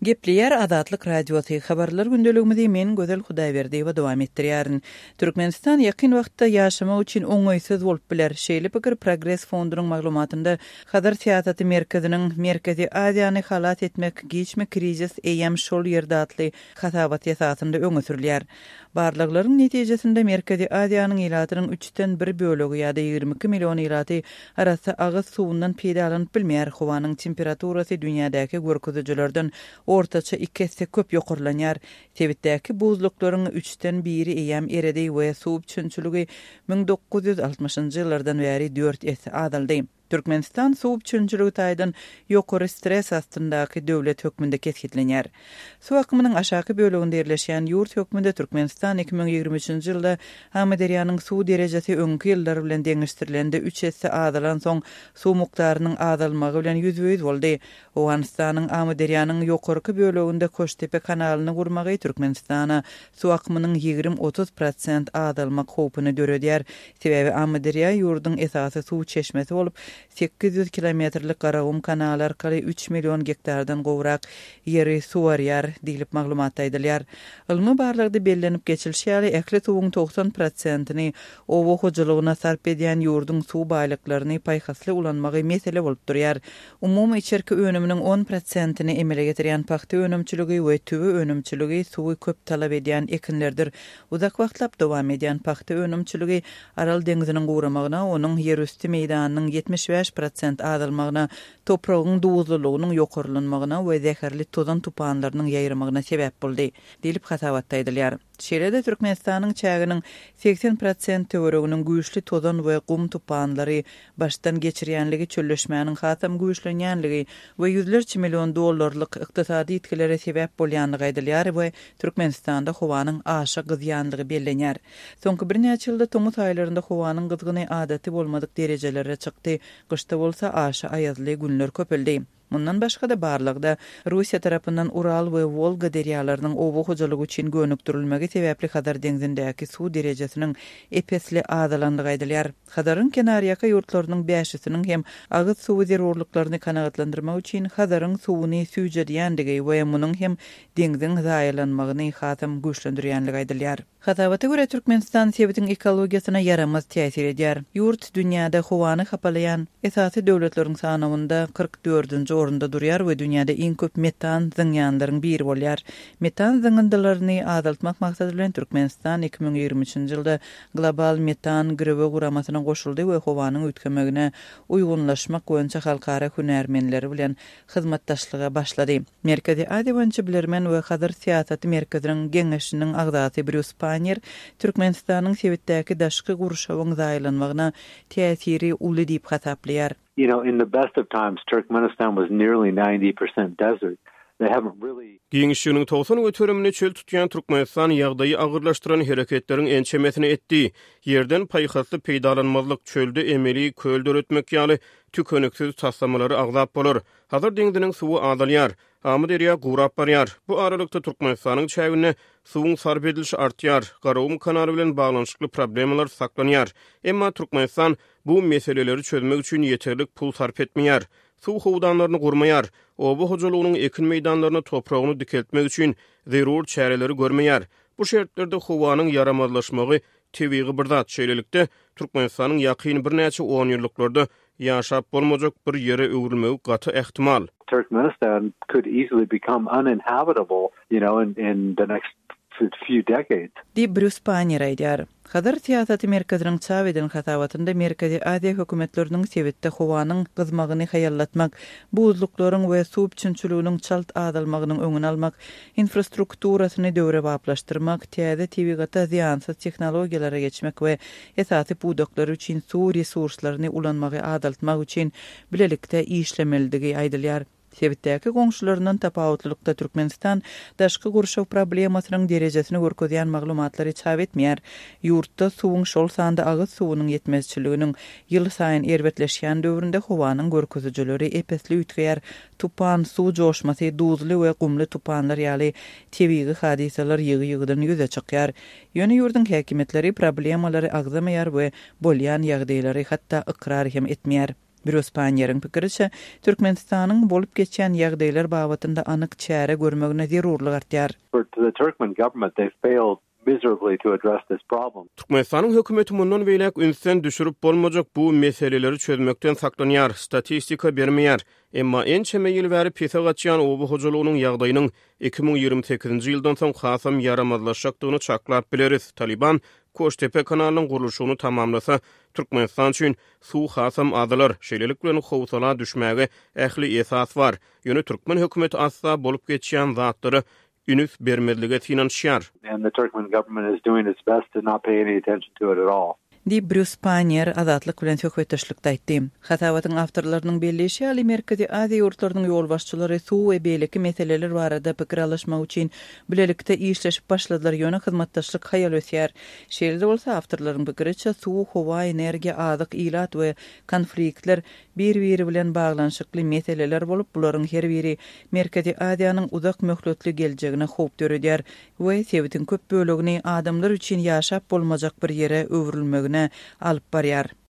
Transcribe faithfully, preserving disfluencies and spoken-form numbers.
Gepleýär Azatlyk Radiosy, Habarlar gündeligimizi men Gözel Hudaýberdiýewa dowam etdirýärin. Türkmenistan ýakyn wagtda ýaşamak üçin oňaýsyz bolup biler. Şeýle pikir Progres fondunyň maglumatynda Hazar syýasaty merkeziniň Merkezi Aziýany halas etmek giçmi krizis eýýäm şol ýerde atly hasabat esasynda öňe sürülýär. Barlaglaryň netijesinde Merkezi Aziýanyň ilatynyň üçden bir bölegi ýa-da ýigrimi iki million ilaty arassa agyz suwundan peýdalanyp bilmeýär. Howanyň temperaturasy dünýädäki görkezijilerden ortaça iki esse köp ýokarlanýar. Sebitdäki buzluklaryň üçden biri eýýäm eredi we suw üpjünçiligi müň dokuz ýüz altmyşynjy ýyllardan bäri dört esse azaldy. Türkmenistan suw üpjünçiligi taýdan ýokary stres astyndaky döwlet hökmünde kesgitlenýär. Suw akymynyň aşaky böleginde ýerleşýän ýurt hökmünde Türkmenistan iki müň ýigrimi üçünji ýylda Amyderýanyň suw derejesi öňki ýyllar bilen deňeşdirilende üç esse azalan soň suw mukdarynyň azalmagy bilen ýüzbe-ýüz boldy. Owganystanyň Amyderýanyň ýokarky böleginde Koştepe kanalyny gurmagy Türkmenistana suw akymynyň ýigrimi otuz prosent azalmak howpuny döredýär. Sebäbi Amyderýa ýurduň esasy suw çeşmesi bolup, sekiz ýüz kilometrlik Garagum kanaly arkaly üç million gektardan gowrak ýeri suwarýar diýlip maglumatda aýdylýar. Ylmy barlagda bellenip geçilişi ýaly, ähli suwuň togsan prosentini oba hojalygyna sarp edýän ýurduň suw baýlyklaryny paýhasly ulanmagy mesele bolup durýar. Umumy içerki önüminiň on prosentini emele getirýän pagta önümçiligi we tüwi önümçiligi suwy köp talap edýän ekinlerdir. Uzak wagtlap dowam edýän pagta önümçiligi Aral deňziniň guramagyna, onuň ýerüsti meýdanynyň ýetmiş bäş prosent azalmagyna, topragyň duzlulygynyň ýokarlanmagyna we zäherli tozan tupanlarynyň ýaýramagyna sebäp boldy, diýlip hasabatda aýdylýar. Şeýle-de Türkmenistanyň çäginiň segsen prosent töwereginiň güýçli tozan we gum tupanlary başdan geçirýänligi, çölleşmäniň hasam güýçlenýänligi we ýüzlerçe million dollarlyk ykdysady ýitgilere sebäp bolýanlygy aýdylýar we Türkmenistanda howanyň aşa gyzýanlygy bellenýär. Soňky birnäçe ýylda tomus aýlarynda howanyň gyzgyny adaty bolmadyk derejelere çykdy, gyşda bolsa aşa aýazly günler köpeldi. Mundan başga-da barlagda Russiýa tarapyndan Ural we Wolga derýalarynyň oba hojalygy üçin gönükdirilmegi sebäpli Hazar deňzindäki suw derejesiniň epesli azalanlygy aýdylýar. Hazaryň kenarýaka ýurtlarynyň bäşisiniň hem agyz suwy zerurlyklaryny kanagatlandyrmak üçin Hazaryň suwuny süýjedýändigi we munuň hem deňziň zaýalanmagyny hasam güýçlendirýänligi aýdylýar. Hasabata görä Türkmenistan sebitiň ekologiýasyna ýaramaz täsir edýär. Ýurt dünýäde howany hapalaýan esasy döwletleriň sanawynda kyrk dördünji orunda durýar we dünýäde iň köp metan zyňýanlaryň biri bolýar. Metan zyňyndylaryny azaltmak maksady bilen Türkmenistan iki müň ýigrimi üçünji ýylda global metan girewi guramasyna goşuldy we howanyň üýtgemegine uýgunlaşmak boýunça halkara hünärmenleri bilen hyzmatdaşlyga başlady. Merkezi Aziýa boýunça bilermen we Hazar syýasaty merkeziniň geňeşiniň agzasy Brýus Pannier Türkmenistanyň sebitdäki daşky gurşawyň zaýalanmagyna täsiri uly diýip hasaplaýar. You know, in the best of times, Turkmenistan was nearly ninety percent desert. They haven't really Giňişliginiň togsan göterimini çöl tutýan Türkmenistan ýagdaýy agyrlaşdyran hereketleriň ençemesini etdi. Ýerden paýhasly peýdalanmazlyk, çölde emeli köl döretmek ýaly tükeniksiz taslamalary agzap bolar. Hazar deňziniň suwy azalýar. Amyderýa gurap barýar. Bu aralykda Türkmenistanyň çäginde suwuň sarp edilişi artýar. Garagum kanaly bilen baglanyşykly problemalar saklanýar. Emma Türkmenistan bu meseleleri çözmek üçin ýeterlik pul sarp etmeýär. Suw howdanlaryny gurmaýar. Oba hojalygynyň ekin meýdanlaryny topragyny dikeltmek üçin zerur çäreleri görmeýär. Bu şertlerde howanyň ýaramazlaşmagy tebigy bir zat. Şeýlelikde Türkmenistanyň ýakyn birnäçe on ýyllyklarda ýaşap bolmajak bir ýere öwrülmegi gaty ähtimal. Turkmenistan could easily become uninhabitable, you know, in, in the next few decades. Diýip Brýus Pannier aýdýar. Hazar syýasaty merkeziniň çap eden hasabatynda Merkezi Aziýa hökümetleriniň sebitde howanyň gyzmagyny haýallatmak, buzluklaryň we suw üpjünçiliginiň çalt azalmagynyň öňüni almak, infrastrukturasyny döwrebaplaşdyrmak, täze tebigata zyýansyz tehnologiýalara geçmek we esasy pudaklar üçin suw resurslaryny ulanmagy azaltmak üçin bilelikde işlemelidigi aýdylýar. Sebitdäki goňşularyndan tapawutlylykda Türkmenistan daşky gurşaw problemasynyň derejesini görkezýän maglumatlary çap etmeýär. Ýurtda suwuň şol sanda agyz suwunyň ýetmezçiliginiň ýyl saýyn erbetleşýän döwründe howanyň görkezijileri epesli üýtgeýär. Tupan, suw joşmasy, duzly we gumly tupanlar ýaly tebigy hadysalar ýygy-ýygydan ýüze çykýar. Ýöne ýurduň häkimiýetleri problemalary agzamaýar we bolýan ýagdaýlary hatda ykrar hem etmeýär. Brýus Panniýeriň pikiriçe, Türkmenistanyň bolup geçýän ýagdaýlar babatynda anyk çäre görmegine zerurlyk artýar. For the Turkmen government, they failed miserably to address this problem. Türkmenistanyň hökümeti mundan beýläk ünsden düşürip bolmajak bu meseleleri çözmekden saklanýar, statistika bermeýär. Emma ençeme ýyl bäri pese gaçýan oba hojalygynyň ýagdaýynyň iki müň ýigrimi sekizinji ýyldan soň hasam ýaramazlaşjakdygyny çaklap bileris. Taliban Koştepe kanalynyň gurluşygyny tamamlasa, Türkmenistan üçin suw hasam azalar. Şeýlelik bilen howsala düşmäge ähli esas bar. Ýöne türkmen hökümeti asla bolup geçýän zatlara üns bermezlige synanyşýar. And the Turkmen government is doing its best to not pay any attention to it at all. Diýip, Brýus Panniýer Azatlyk bilen söhbetdeşlikde aýtdy. Hasabatyň awtorlarynyň belleýşi ýaly, Merkezi Aziýa ýurtlarynyň ýolbaşçylary suw we beýleki meseleler barada pikir alyşmak üçin bilelikde işleşip başladylar, ýöne hyzmatdaşlyk haýal ösýär. Şeýle-de bolsa, awtorlaryň pikiriçe, suw, howa, energiýa, azyk, ilat we konfliktler bir-biri bilen baglanyşykly meseleler bolup, bularyň her biri Merkezi Aziýanyň uzak möhletli geljegine howp döredýär we sebitiň köp bölegini adamlar üçin ýaşap bolmajak bir ýere öwrülmegine alyp barýar.